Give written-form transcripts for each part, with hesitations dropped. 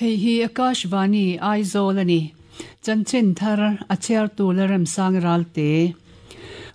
Hei hi Akashvani, Aizawl a ni. Chanchin thar a chhiartu Lalremsang Ralte.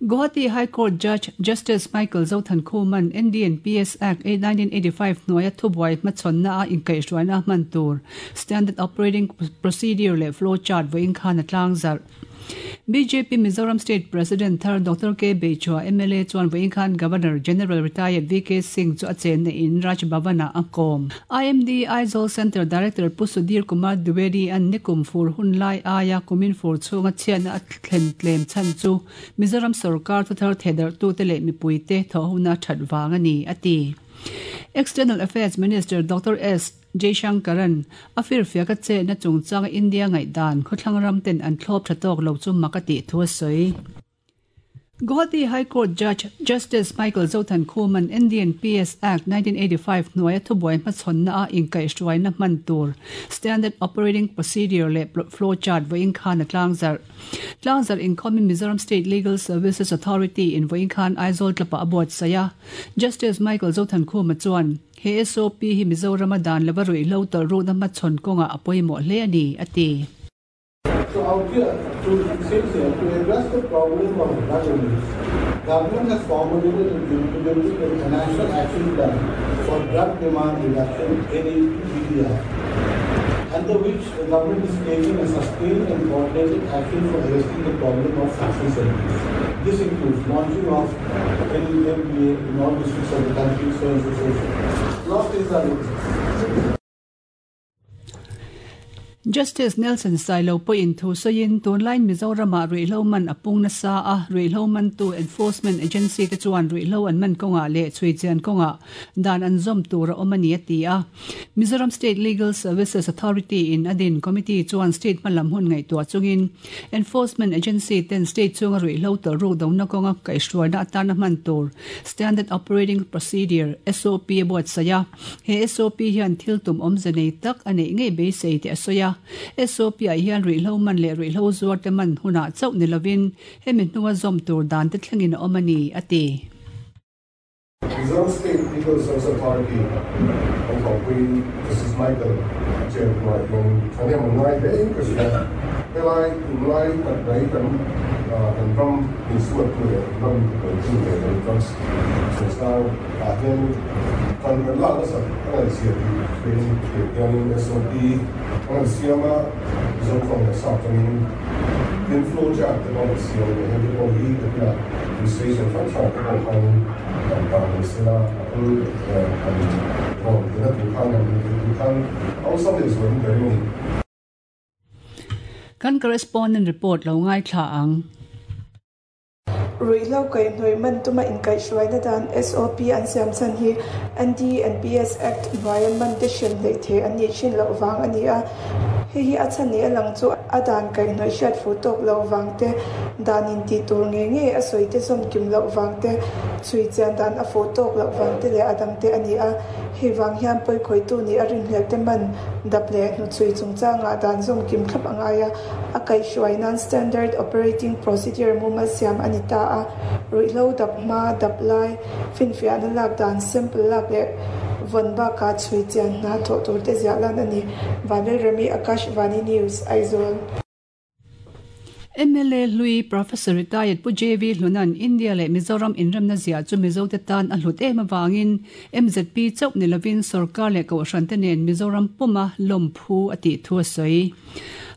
Guwahati High Court Judge Justice Michael Zothankhuma'n NDNPS Act 1985 hnuaia thubuai hmachhawnna a inkaihhruaina hman tur Standard Operating Procedure leh Flow Chart vawiin khan a tlangzarh. Bjp Mizoram State President thar Doctor K Beichua mla chuan vawiin khan Governor General Retired VK Singh chu a chenna in Raj Bhavan ah a kawm. IMD Aizawl Centre Director Pu Sudhir Kumar Dwivedi an nikum fur hun lai aia kumin fur chhunga chhiatna a thlen tlem chhan chu Mizoram sorkar thuthar thehdarhtute leh mipuite thawhhuna that vang a ni, a ti. External Affairs Minister Doctor S. Jaishankaran a firfiak a chetna chungchanga India ngaihdan khawthlang ram ten an thlawp tha tawk lo chu mak a tih thu a sawi. Guwahati High Court Judge Justice Michael Zothankhuma'n Indian PS Act 1985 hnuaia thubuai hmachhawnna a inkaihhruaina hman tur Standard Operating Procedure leh Flow Chart vawiin khan a tlangzarh. Tlangzarh inkhawmin Mizoram State Legal Services Authority in vawiin khan Aizawl tlapah a buatsaih a. Justice Michael Zothankhuma chuan, He SOP hi Mizorama dan lova ruihhlo tawlhrukna hmachhawn kawngah a pawimawh hle a ni, a ti. So out here, to it says here, to address the problem of drug abuse, government has formulated and implemented a National Action Plan for Drug Demand Reduction, NADDR, under which the government is taking a sustained and coordinated action for arresting the problem of substance abuse. This includes launching of NMBA in all districts of the country, so and so, so so. Lot of things are in. Justice Nelson Sailo pawhin thu sawiin tunlaiin Mizoramah ruihhlo man a pung nasa a, ruihhlo mantu enforcement agency te chuan ruihhlo an man kawngah leh chhuichian kawngah dan an zawm tur a awm a ni a ti a. Mizoram State Legal Services Authority in a din committee chuan state hmalam hun ngaihtuah chungin Enforcement Agency ten state chunga ruihhlo tawlhruk dona kawnga kaihhruaina atana hman tur Standard Operating Procedure, SOP, a buatsaih a. He SOP hian thil tum awmze nei tak a neih ngei beisei tih a sawi a. SOP ah hian ruihhlo man leh ruihhlo zuar te man hunah chauh ni lovin hemi hnunga zawm tur dan te thlengin a awm a ni, a ti. Mizoram State Legal Service Authority an thawhpui Justice Michael Chen hnuaiah hian thahnem an ngai hle in ka hria. Helai tunlai tak mai kan kan ram insuattu leh ram intibuaitu leh kan drugs chungchang ah hian tan kan lak nasat a ngaihzia tih hrein tiang hianin SOP an han siam a, Mizo tawng leh sap tawngin tin flow chart te pawh an siam leh hei te pawh hi ka tia Station hrang hrang te pawh khanin kan dah mai sela a kal kan rawn tina tur khan kan inti tur khan a awlsam leh zualin ka ring a ni. Kan correspondent report lo ngaithla ang. Ruihhlo kaihhnawih man tuma inkaihhruaina dan SOP an siam chhan hi NDNPS Act hnuaia man te hrem hleih thei an nih thin loh vang a ni a. Hei hi a chhan ni a lang chu a dan kaihhnawih hriat fuh tawk loh vang te, dan in tih tur ngei ngei a sawi te zawm kim loh vang te, chhui chian dan a fuh tawk loh vang te leh a dang te a ni a. Hei vang hian pawikhawihtu nih a rinhlelh te man dap leh hnuchhui chungchangah dan zawm kim thlap a ngai a. A kaihhruai nan Standard Operating Procedure mumal siam a ni ta a, ruihhlo dap hma, dap lai, finfiahna lak dan, sample lak leh vawn bakah chhui chian hna thawh tur te ziah lan a ni. Vanlalremi, Akashvani News, Aizawl. Mla hlui Professor Retired Pu JV Hluna'n India leh Mizoram inremna ziah chu Mizote tan a hlut em avangin MZP chauh ni lovin sorkar leh kohhrante nen Mizoram puma lawmphu a tih thu a sawi.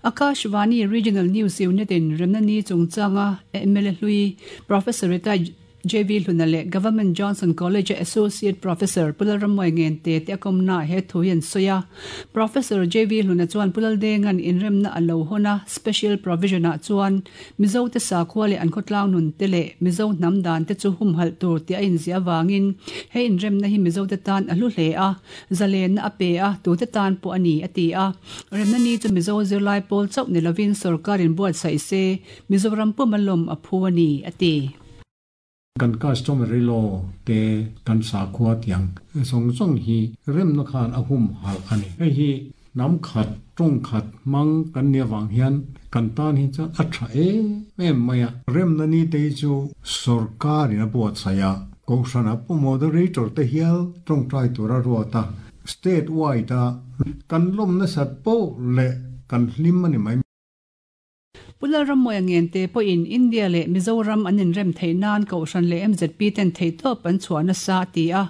Akashvani Regional News Unit in remna ni chungchanga mla hlui Professor Retired JV Hluna leh Government Johnson College-a Associate Professor Pu Lalrammuai Ngente te a kawmnaah he thu hi an sawi a. Professor JV Hluna chuan Pu Laldenga'n inremna a lo hawn a, Special Provision-ah chuan Mizote sakhua leh an khawtlang nun te leh Mizo hnam dan te chu humhalh tur tih a inziah avangin he inremna hi Mizote tan a hlu hle a. Zalenna a pe a, tute tan pawh a ni, a ti a. Remna ni chu Mizo zirlai pawl chauh ni lovin sorkarin buatsaih se, Mizoram puma lawm a phu a ni, a ti. Kan customary law te kan sakhua tiang zawng zawng hi remna khan a humhalh a ni. Hei hi hnam khat, tawng khat hmang kan nih avang hian kan tan hi chuan a tha em em mai a. Remna ni te hi chu sorkarin a buatsaih a, Kohhrana pu moderator te hial tawngtai tura ruat a. State wide a kan lawm nasat poh leh kan hlim a ni mai. Pu Lalrammawia Ngente pawhin India leh Mizoram an inrem theih nan Kohhran leh mzp ten theihtawp an chhuah nasa a ti a.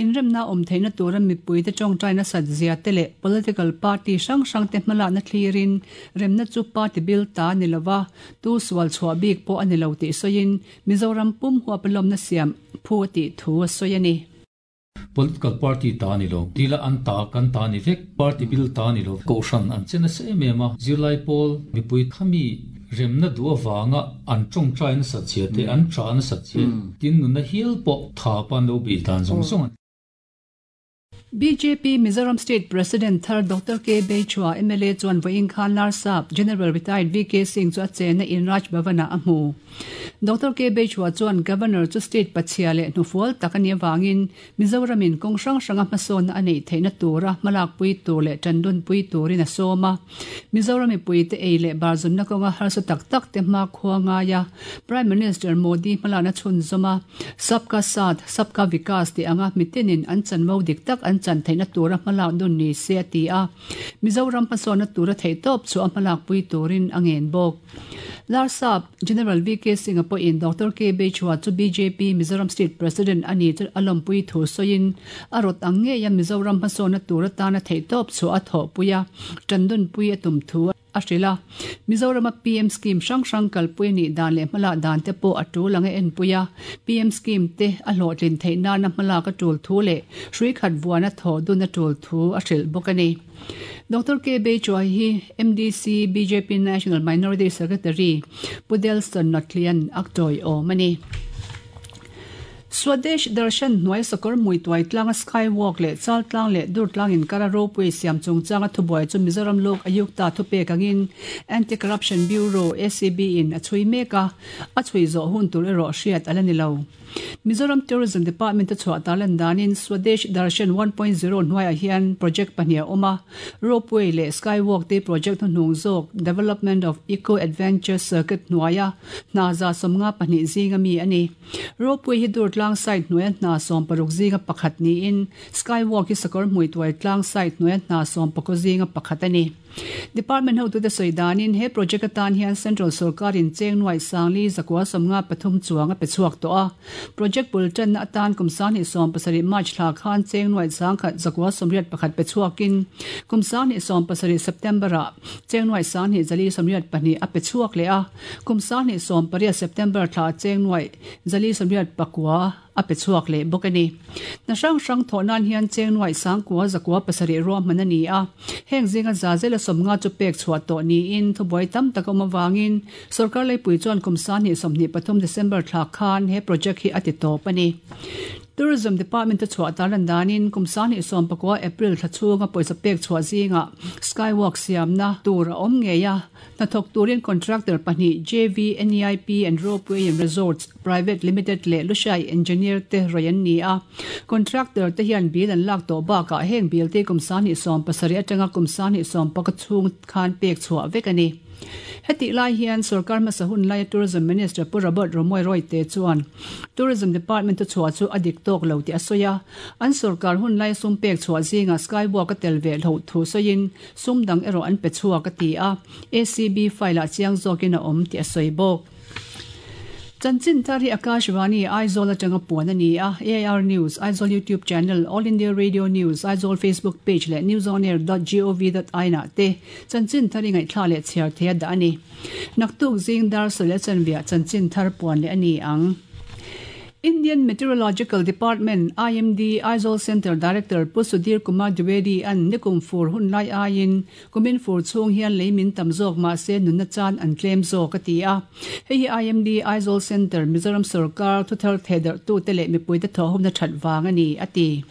Inremna awm theihna tura mipuite tawngtai nasat zia te leh political party hrang hrangte hmalakna thlirin remna chu party bil ta a ni lova, tu sual chhuah bik pawh a ni lo tih sawiin Mizoram pum huapa lawmna siam phu a tih thu a sawi a ni. Political party ta a ni lo, dila an ta kan ta a ni vek, party bil ta a ni lo, kohhran an che nasa em em a, zirlai pawl mipui khami remna duh avanga an tawngtai nasat zia te, an tah nasat zia, tin nunna hial pawh tha pa an lo beih dan zawng zawng a ni. Bjp Mizoram State President thar Doctor K. Beichhua, mla chuan vawiin khan Larsap General Retired VK Singh chu a chenna in Raj Bhavan-ah a hmu. Doctor K. Beichhua chuan Governor chu state pachhia leh hnufual tak a nih avangin Mizoramin kawng hrang hranga hmasawnna a neih theihna tura hmalakpui tur leh tandunpui turin a sawm a. Mizoram mipuite ei leh barzunna kawnga harsa tak tak te hma khua ngaia Prime Minister Modi hmalakna chhunzawm a, Sabka Saath, Sabka Vikas tih anga mitinin an chanvo dik tak an chan theihna tura hmalak dun ni se a ti a. Mizoram hmasawnna tura theihtawp chu a hmalakpui turin a ngen bawk. Larsap General VK Singh-a pawhin Doctor K. Beichhua chu bjp Mizoram State President a ni chu a lawmpui thu sawiin a rawt ang ngeia Mizoram hmasawnna tur atana theihtawp chhuah a thawhpui a, tandunpui a tum thu a hrilh a. Mizorama PM scheme hrang hrang kalpui a nih dan leh hmalak dan te pawh a tul ang a enpui a, PM scheme te a hlawhtlin theih nana hmalak a tul thu leh hrui khat vuana thawh dun a tul thu a hrilh bawk a ni. Doctor K. Beichuai hi MDC bjp National Minority Secretary Pu Delson Notlian a tawiawm a ni. Swadesh Darshan hnuai sakawr hmui tuai tlanga Sky Walk leh Chal tlang leh Dur tlang inkara ropui siam chungchanga thubuai chu Mizoram Lok Ayukta thupek angin Anti-Corruption Bureau, ACB, in a chhui mek a, a chhui zawh hun tur erawh hriat a la ni lo. Mizoram Tourism Department-a chhuah tarlan danin Swadesh Darshan 1.0 hnuaiah hian project pahnih a awm a, Ropeway leh Skywalk te project hnuhnung zawk Development of Eco Adventure Circuit hnuaia hna 152 zinga mi a ni. Ropeway hi Durtlang site hnuaia hna 16 zinga pakhat niin Skywalk hi Sakawrhmuituai tlang site hnuaia hna 14 zinga pakhat a ni. Department hotute sawi danin he project atan hian Central sorkarin cheng nuaih sangli zakua sawmnga pathum chuang a pe chhuak tawh a. Project bul tanna atan kum sanghnih 70 March thla khan cheng nuaih sangkhat zakua 81 pe chhuakin kum sanghnih 70 September ah cheng nuaih sanghnih zali 82 a pe chhuak leh a. Kum sanghnih 18 September thla cheng nuaih zali 89 a pe chhuak leh bawk a ni. Hna hrang hrang thawh nan hian cheng nuaih sangkua zakua pasarih ruahman a ni a, heng zinga za zela sawmnga chu pek chhuah tawh niin thubuai tam tak a awm avangin sorkar leipui chuan kum sanghnih 23 December thla khan he project hi a ti tawp a ni. Tourism Department-a chhuah tarlan danin kum sanghnih 19 April thla chhunga pawisa pek chhuah zingah skywalk siamna tur a awm ngei a, Hnathawk turin contractor pahnih JV NEIP and Ropeway and Resorts Private Limited leh Lushai Engineer te rawih an ni a. Contractor te hian bill an lak tawh bakah heng bill te kum sanghnih 70 atanga kum sanghnih 14 chhung khan pek chhuah vek a ni. Hetih lai hian sorkar hmasa hun laia Tourism Minister Pu Robert Romawia Royte chuan Tourism Department-a chhuah chu a dik tawk lo tih a sawi a. An sorkar hun laia sum pek chhuah zingah Skywalk a tel ve hloh thu sawiin Sum dang erawh an pe chhuak a ti a, ACB file ah chiang zawkin a awm tih a sawi bawk. Chanchin thar hi Akashvani, Aizawl atanga puan a ni a, AIR News, Aizawl YouTube Channel, All India Radio News, Aizawl Facebook Page leh newsonair dot gov dot in ah te chanchin thar i ngaihthla leh chhiar thei a dah a ni. Naktuk zing dar sawi leh chanviah chanchin thar puan leh a ni ang. Indian Meteorological Department, IMD, Aizawl Centre Director Pu Sudhir Kumar Dwivedi an nikum fur hun lai aiin kumin fur chhung hian lei min tam zawk mah se nunna chan an tlem zawk a ti a. Hei hi IMD Aizawl Centre, Mizoram sorkar thuthar thehdarhtute leh mipuite thawhhawmna that vang a ni, a ti.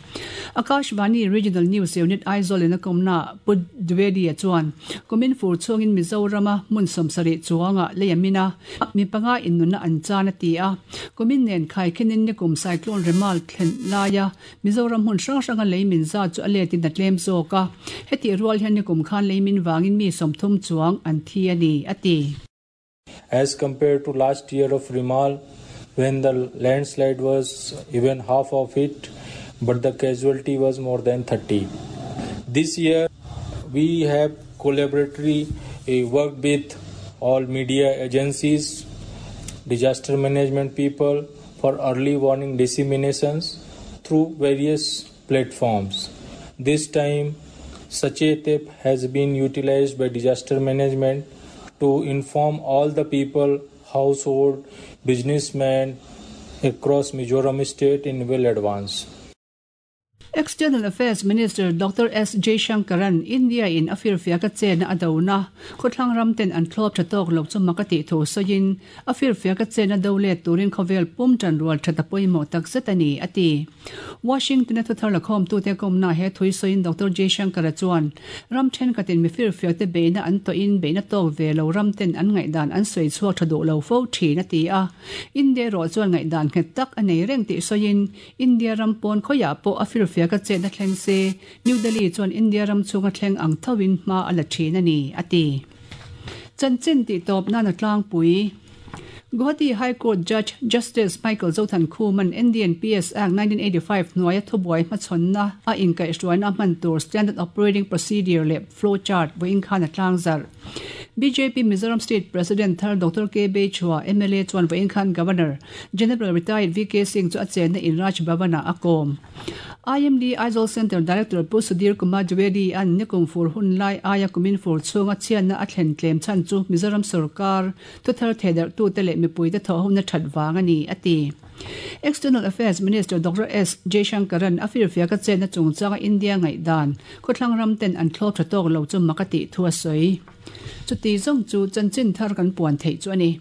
Akashvani Regional News Unit Aizawl in a kawmnaah Pu Dwivedi-a chuan kumin fur chhungin Mizorama hmun 70 chuangah lei a min a, mi panga innunna an chan a ti a. Kumin nen khaikhinin nikum cyclone Remal thlen laia Mizoram hmun hrang hranga lei min zat chu a letin a tlem zawk a, hetih rual hian nikum khan lei min vangin mi 30 chuang an thi a ni, a ti. As compared to last year of Remal, when the landslide was even half of it, but the casualty was more than 30. This year, we have collaboratively worked with all media agencies, disaster management people for early warning disseminations through various platforms. This time, Sachet app has been utilized by disaster management to inform all the people, household, businessmen across Mizoram state in well advance. External Affairs Minister Doctor S Jaishankar-a'n India in a firfiaka chenna a dona khawthlang ram ten an thlawp tha tawk lo chu mak a tih thu sawiin a firfiaka chenna do let turin khawvel pum tan rual that a pawimawh tak zet a ni a ti. Washington-a thuthar lakhawmtute kawmna he thui sawiin Doctor Jaishankar-a chuan ram thenkhatin mi firfiakte beihna an tawhin beihna tawk ve lo ram ten an ngaihdan an sawi chhuak tha duh lo fo thin a ti a. India erawh chuan ngaihdan nghet tak a nei reng tih sawiin India ram pawn khawiah pawh a firfiak a chetna thleng se New Delhi chuan India ram chhunga thleng ang thoin hma a la thin a ni, a ti. Chanchin tih tawp nan a tlangpui. Guwahati High Court Judge Justice Michael Zothankhuma'n NDNPS Act 1985 hnuaia thubuai hmachhawnna a inkaihhruaina a hman tur Standard Operating Procedure leh Flow Chart vawiin khan a tlangzarh. Bjp Mizoram State President thar Doctor K Beichhua, mla chuan vawiin khan Governor General Retired VK Singh chu a chenna in Raj Bhavan-ah a kawm. IMD Aizawl Centre Director Pu Sudhir Kumar Dwivedi an nikum fur hun lai aia kumin fur chhunga chhiatna a thlen tlem chhan chu Mizoram sorkar thuthar thehdarhtute leh mipuite thawhhona that vang a ni, a ti. External Affairs Minister Doctor S Jaishankar-a'n a firfiaka chetna chungchanga India ngaihdan khawthlang ram ten an thlawp tha tawk lo chu mak a tih thu a sawi. Chuti zawng chu chanchin thar kan puan theih chu a ni.